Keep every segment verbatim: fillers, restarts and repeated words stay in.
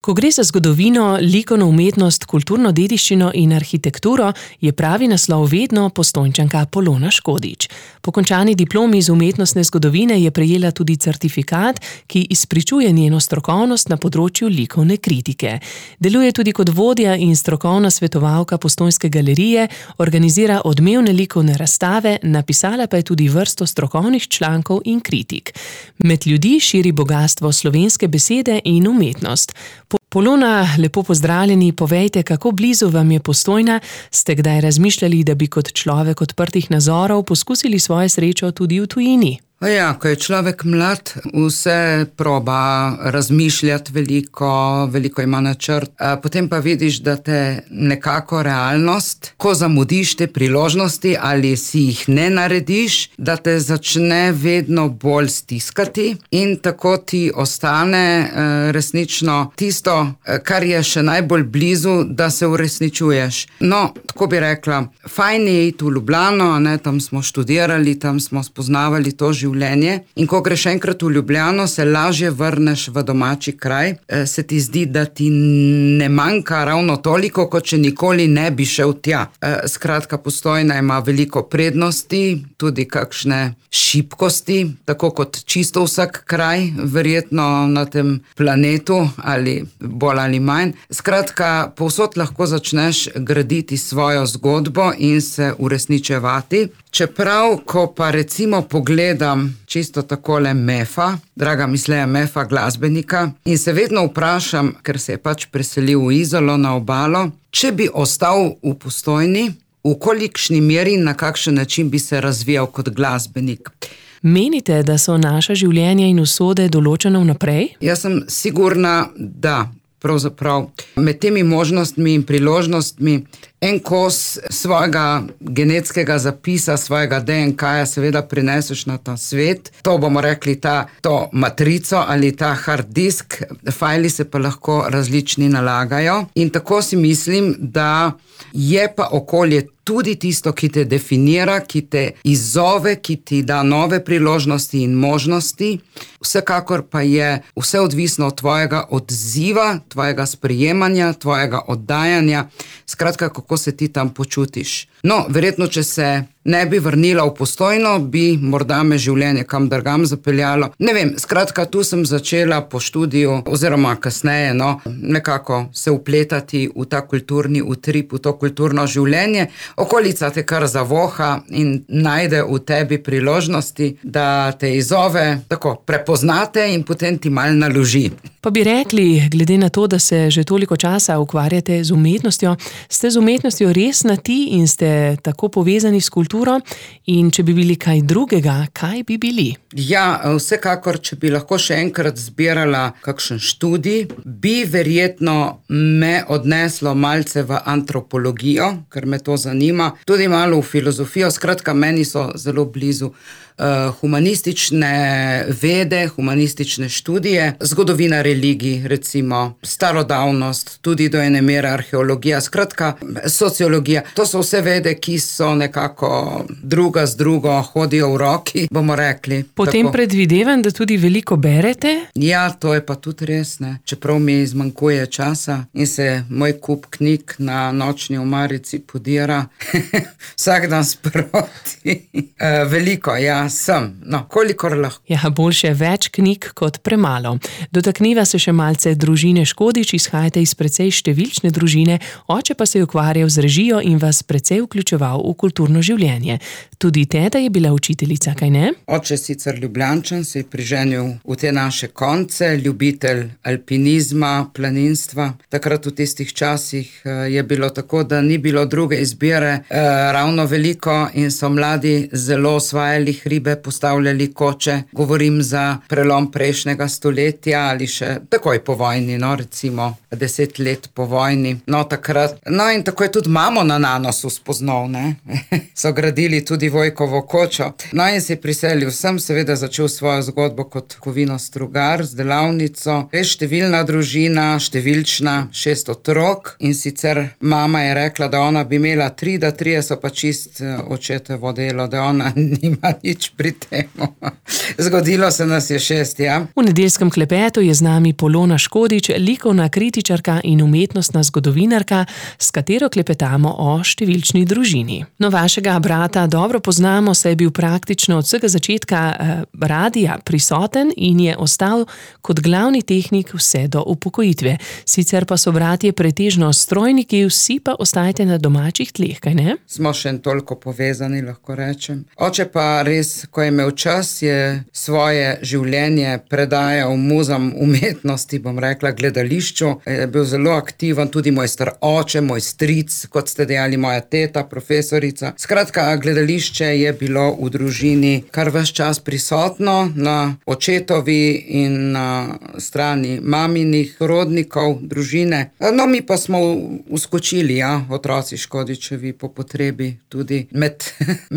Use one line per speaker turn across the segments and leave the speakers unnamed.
Ko gre za zgodovino, likovno umetnost, kulturno dediščino in arhitekturo, je pravi naslov vedno Postojnčanka Polona Škodič. Po končani diplomi iz umetnostne zgodovine je prejela tudi certifikat, ki izpričuje njeno strokovnost na področju likovne kritike. Deluje tudi kot vodja in strokovna svetovalka Postojnske galerije, organizira odmevne likovne razstave, napisala pa je tudi vrsto strokovnih člankov in kritik. Med ljudi širi bogastvo slovenske besede in umetnost. Polona, lepo pozdravljeni, povejte, kako blizu vam je Postojna, ste kdaj razmišljali, da bi kot človek odprtih nazorov poskusili svojo srečo tudi v tujini?
Ja, ko je človek mlad, vse proba razmišljati veliko, veliko ima načrt, potem pa vidiš, da te nekako realnost, ko zamudiš te priložnosti ali si jih ne narediš, da te začne vedno bolj stiskati in tako ti ostane resnično tisto, kar je še najbolj blizu, da se uresničuješ. No, tako bi rekla, fajn je iti v Ljubljano, ne, tam smo študirali, tam smo spoznavali to življenje. In ko greš enkrat v Ljubljano, se lažje vrneš v domači kraj, se ti zdi, da ti ne manjka ravno toliko, kot če nikoli ne bi šel tja. Skratka, Postojna ima veliko prednosti, tudi kakšne šibkosti, tako kot čisto vsak kraj, verjetno na tem planetu, ali bolj ali manj. Skratka, povsod lahko začneš graditi svojo zgodbo in se uresničevati. Čeprav, ko pa recimo pogledam čisto takole Mefa, draga misleja Mefa, glasbenika, in se vedno vprašam, ker se je pač preselil v Izolo na obalo, če bi ostal v Postojni, v kolikšni meri in na kakšen način bi se razvijal kot glasbenik.
Menite, da so naša življenja in usode določene vnaprej?
Jaz sem sigurna, da pravzaprav med temi možnostmi in priložnostmi en kos svojega genetskega zapisa, svojega D N K-ja seveda prineseš na ta svet. To bomo rekli ta, to matrico ali ta hard disk, fajli se pa lahko različni nalagajo. In tako si mislim, da je pa okolje tudi tisto, ki te definira, ki te izzove, ki ti da nove priložnosti in možnosti. Vsekakor pa je vse odvisno od tvojega odziva, tvojega sprejemanja, tvojega oddajanja, skratka, kako se ti tam počutiš. No, verjetno, če se ne bi vrnila v Postojno, bi morda me življenje kam drugam zapeljalo. Ne vem, skratka, tu sem začela po študiju, oziroma kasneje, no, nekako se vpletati v ta kulturni utrip, v to kulturno življenje. Okolica te kar zavoha in najde v tebi priložnosti, da te izzove tako prepoznate in potem ti malo naloži.
Pa bi rekli, glede na to, da se že toliko časa ukvarjate z umetnostjo, ste z umetnostjo res na ti in ste tako povezani s kulturo, in če bi bili kaj drugega, kaj bi bili?
Ja, vsekakor, če bi lahko še enkrat zbirala kakšen študij, bi verjetno me odneslo malce v antropologijo, ker me to zanima, tudi malo v filozofijo, skratka, meni so zelo blizu uh, humanistične vede, humanistične študije, zgodovina religij, recimo, starodavnost, tudi do ene mere arheologija, skratka, sociologija. To so vse vede, ki so nekako druga z drugo, hodijo v roki, bomo rekli.
Potem tako predvidevam, da tudi veliko berete?
Ja, to je pa tudi res, ne. Čeprav mi zmanjkuje časa in se moj kup knjig na nočni omarici podira vsak dan sproti. uh, veliko, ja, sem. No, kolikor lahko.
Ja, boljše več knjig kot premalo. Dotakniva se še malce družine Škodič, izhajate iz precej številčne družine, oče pa se je ukvarjal z režijo in vas precej vključeval v kulturno življenje. Tudi teta je bila učiteljica, kaj ne?
Oče sicer Ljubljančan, se je priženil v te naše konce, ljubitelj alpinizma, planinstva. Takrat v tistih časih je bilo tako, da ni bilo druge izbire eh, ravno veliko in so mladi zelo osvajali hribe, postavljali koče. Govorim za prelom prejšnjega stoletja ali še takoj po vojni, no, recimo deset let po vojni. No, takrat. No, in tako je tudi mamo na Nanosu spoznal, ne. So gradili tudi Vojkovo kočo. No, in se je priselil sem, seveda začel svojo zgodbo kot kovinostrugar z delavnico. Res številna družina, številčna, šest otrok in sicer mama je rekla, da ona bi imela tri, da trije so pa čist očetovo delo, da ona nima nič nič pri tem. Zgodilo se nas je šest, ja.
V nedeljskem klepetu je z nami Polona Škodič, likovna kritičarka in umetnostna zgodovinarka, s katero klepetamo o številčni družini. No, vašega brata dobro poznamo, saj je bil praktično od vsega začetka eh, radija prisoten in je ostal kot glavni tehnik vse do upokojitve. Sicer pa so bratje pretežno strojniki, vsi pa ostajate na domačih tleh, kaj ne?
Smo še toliko povezani, lahko rečem. Oče pa res, ko je imel čas, je svoje življenje predajal muzam umetnosti, bom rekla, gledališču. Je bil zelo aktiven, tudi moj star oče, moj stric, kot ste dejali, moja teta, profesorica. Skratka, gledališče je bilo v družini kar ves čas prisotno, na očetovi in na strani maminih rodnikov, družine. No, mi pa smo uskočili, ja, otroci Škodičevi po potrebi tudi med,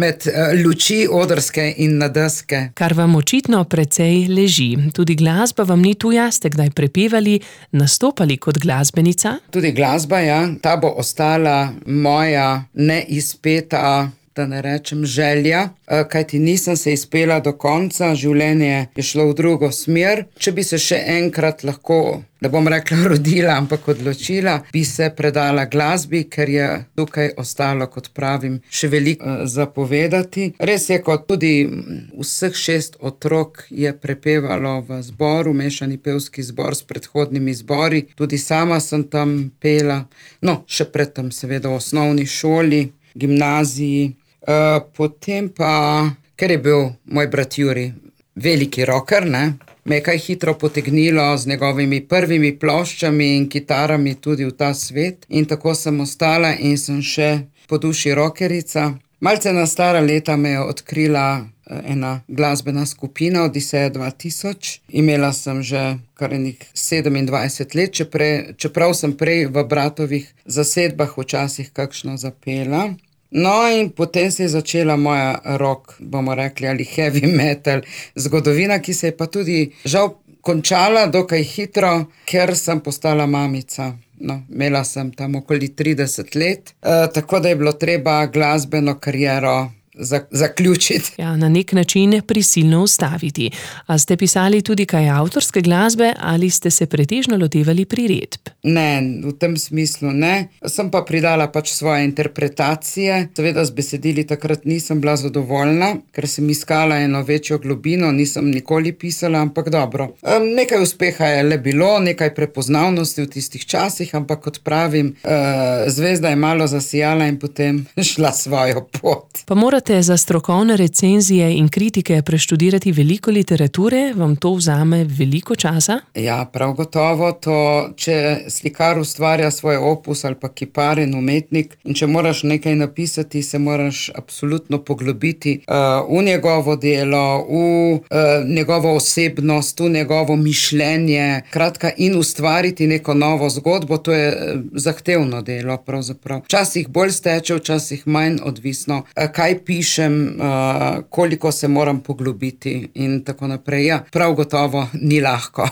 med luči odrske in na deske.
Kar vam očitno precej leži. Tudi glasba vam ni tuja, ste kdaj prepevali, nastopali kot glasbenica?
Tudi glasba, ja. Ta bo ostala moja neizpeta, da ne rečem želja, kajti nisem se izpela do konca, življenje je šlo v drugo smer. Če bi se še enkrat lahko, da bom rekla rodila, ampak odločila, bi se predala glasbi, ker je tukaj ostalo, kot pravim, še veliko zapovedati. Res je, kot tudi vseh šest otrok je prepevalo v zboru, mešani pevski zbor s predhodnimi zbori, tudi sama sem tam pela, no, še predtem seveda v osnovni šoli, gimnaziji. Uh, potem pa, ker je bil moj brat Juri veliki rocker, ne, me je kaj hitro potegnilo z njegovimi prvimi ploščami in kitarami tudi v ta svet. In tako sem ostala in sem še po duši rockerica. Malce na stara leta me je odkrila ena glasbena skupina Odiseja dva tisoč. Imela sem že kar enih sedemindvajset let, čepre, čeprav sem prej v bratovih zasedbah včasih kakšno zapela. No, in potem se je začela moja rock, bomo rekli, ali heavy metal zgodovina, ki se je pa tudi žal končala dokaj hitro, ker sem postala mamica. No, imela sem tam okoli trideset let, e, tako da je bilo treba glasbeno kariero zaključiti.
Ja, na nek način prisilno ustaviti. A ste pisali tudi kaj avtorske glasbe ali ste se pretežno lotevali priredb?
Ne, v tem smislu ne. Sem pa pridala pač svoje interpretacije. Seveda z besedili takrat nisem bila zadovoljna, ker sem iskala eno večjo globino, nisem nikoli pisala, ampak dobro. Nekaj uspeha je le bilo, nekaj prepoznavnosti v tistih časih, ampak kot pravim, zvezda je malo zasijala in potem šla svojo pot.
Pa morate za strokovne recenzije in kritike preštudirati veliko literature, vam to vzame veliko časa?
Ja, prav gotovo. To, če slikar ustvarja svoj opus ali pa kipar in umetnik, in če moraš nekaj napisati, se moraš absolutno poglobiti uh, v njegovo delo, v uh, njegovo osebnost, v njegovo mišljenje, kratka, in ustvariti neko novo zgodbo. To je uh, zahtevno delo, pravzaprav. Včasih bolj steče, včasih manj, odvisno, uh, kaj pišem, uh, koliko se moram poglobiti in tako naprej. Ja, prav gotovo ni lahko.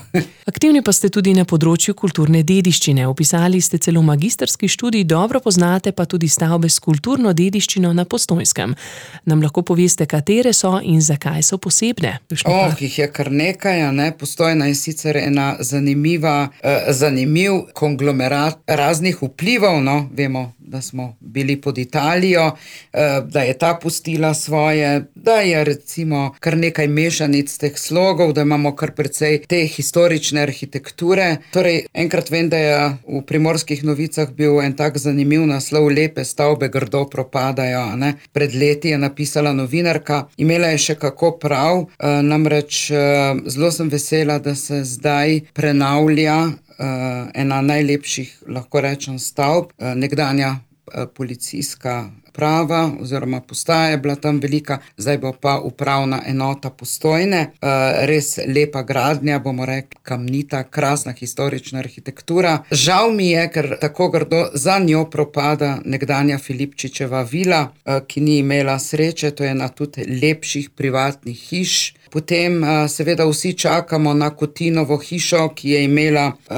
Aktivni pa ste tudi na področju kulturne dediščine. Opisali ste celo magistrski študij, dobro poznate pa tudi stavbe s kulturno dediščino na Postojnskem. Nam lahko poveste, katere so in zakaj so posebne?
Oh, jih je kar nekaj, ne? Postojna je sicer ena zanimiva, eh, zanimiv konglomerat raznih vplivov, no, vemo, da smo bili pod Italijo, eh, da je ta pustila svoje, da je recimo kar nekaj mešanic teh slogov, da imamo kar precej te historične arhitekture. Torej, enkrat vem, da je v Primorskih novicah bil en tak zanimiv naslov: Lepe stavbe grdo propadajo, ne? Pred leti je napisala novinarka, imela je še kako prav, e, namreč e, zelo sem vesela, da se zdaj prenavlja e, ena najlepših, lahko rečem, stavb, e, nekdanja e, policijska prava oziroma postaja je bila tam velika, zdaj bo pa upravna enota Postojne. Res lepa gradnja, bomo rekli, kamnita, krasna historična arhitektura. Žal mi je, ker tako grdo za njo propada nekdanja Filipčičeva vila, ki ni imela sreče, to je ena tudi lepših privatnih hiš, Potem seveda vsi čakamo na Kotinovo hišo, ki je imela uh,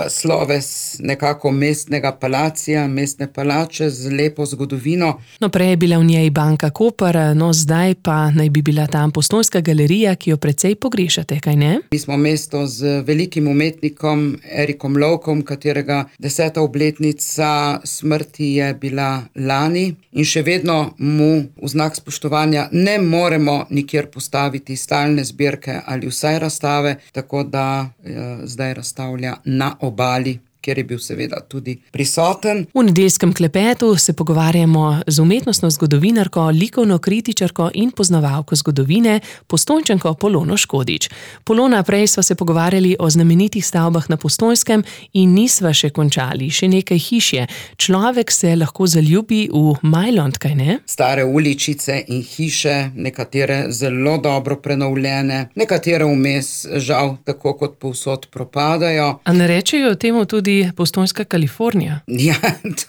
sloves nekako mestnega palacija, mestne palače z lepo zgodovino.
No, prej je bila v njej Banka Koper, no zdaj pa naj bi bila tam Postojnska galerija, ki jo precej pogrešate, kaj ne?
Mi smo mesto z velikim umetnikom Erikom Lovkom, katerega deseta obletnica smrti je bila lani in še vedno mu v znak spoštovanja ne moremo nikjer postaviti stalne zbirke ali vsaj razstave, tako da eh, zdaj razstavlja na Obali, kjer je bil seveda tudi prisoten.
V nedeljskem klepetu se pogovarjamo z umetnostno zgodovinarko, likovno kritičarko in poznavalko zgodovine, Postojnčanko Polono Škodič. Polona, prej sva se pogovarjali o znamenitih stavbah na Postojnskem in nisva še končali, še nekaj hiš je. Človek se lahko zaljubi v Majlont, kaj ne?
Stare uličice in hiše, nekatere zelo dobro prenovljene, nekatere vmes žal tako kot povsod propadajo.
A ne rečejo temu tudi Postojnska Kalifornija?
Ja,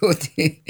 tudi,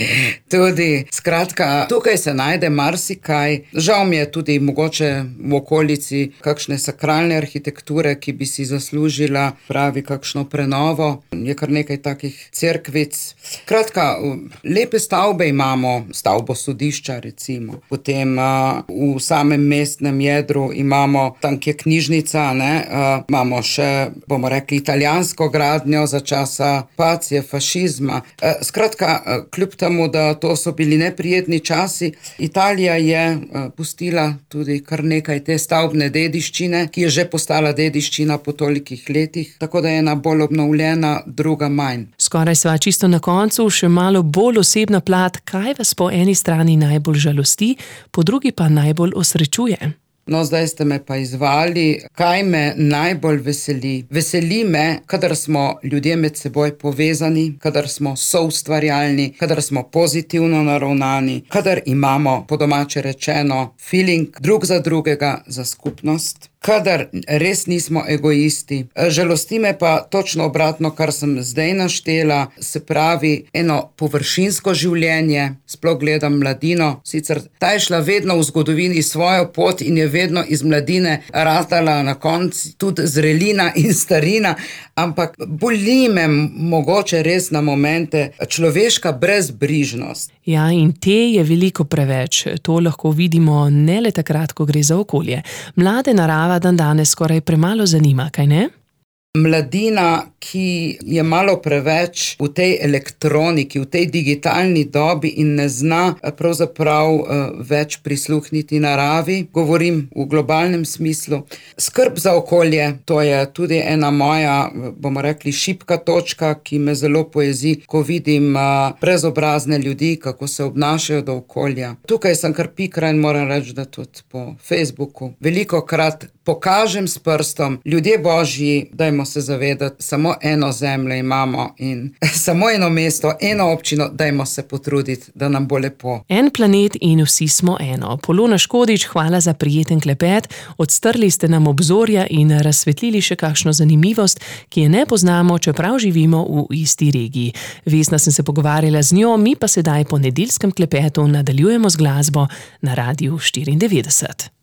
tudi. Skratka, tukaj se najde marsikaj. Žal mi je tudi mogoče v okolici kakšne sakralne arhitekture, ki bi si zaslužila pravi kakšno prenovo. Je kar nekaj takih cerkvic. Skratka, lepe stavbe imamo, stavbo sodišča recimo. Potem uh, v samem mestnem jedru imamo, tam kje knjižnica, ne, uh, imamo še, bomo rekli, italijansko gradnjo za časa okupacije, fašizma. Skratka, kljub temu, da to so bili neprijetni časi, Italija je pustila tudi kar nekaj te stavbne dediščine, ki je že postala dediščina po tolikih letih, tako da je ena bolj obnovljena, druga manj.
Skoraj sva čisto na koncu, še malo bolj osebna plat, kaj vas po eni strani najbolj žalosti, po drugi pa najbolj osrečuje?
No, zdaj ste me pa izvali, kaj me najbolj veseli. Veseli me, kadar smo ljudje med seboj povezani, kadar smo soustvarjalni, kadar smo pozitivno naravnani, kadar imamo, po domače rečeno, feeling drug za drugega, za skupnost, kadar res nismo egoisti. Žalosti me pa točno obratno, kar sem zdaj naštela, se pravi eno površinsko življenje, sploh gledam mladino, sicer ta je šla vedno v zgodovini svojo pot in je vedno iz mladine ratala na koncu tudi zrelina in starina, ampak boli me mogoče res na momente človeška brezbrižnost.
Ja, in te je veliko preveč. To lahko vidimo ne le takrat, ko gre za okolje. Mlade narava dan danes skoraj premalo zanima, kaj ne?
Mladina, ki je malo preveč v tej elektroniki, v tej digitalni dobi in ne zna pravzaprav več prisluhniti naravi, govorim v globalnem smislu. Skrb za okolje, to je tudi ena moja, bomo rekli, šibka točka, ki me zelo pojezi, ko vidim brezobrazne ljudi, kako se obnašajo do okolja. Tukaj sem kar pikra in moram reči, da tudi po Facebooku velikokrat pokažem s prstom, ljudje božji, dajmo se zavedati, samo eno zemljo imamo in samo eno mesto, eno občino, dajmo se potruditi, da nam bo lepo.
En planet in vsi smo eno. Polona Škodič, hvala za prijeten klepet, odstrli ste nam obzorja in razsvetlili še kakšno zanimivost, ki je ne poznamo, čeprav živimo v isti regiji. Vesna sem se pogovarjala z njo, mi pa sedaj po nedeljskem klepetu nadaljujemo z glasbo na Radiu štiriindevetdeset.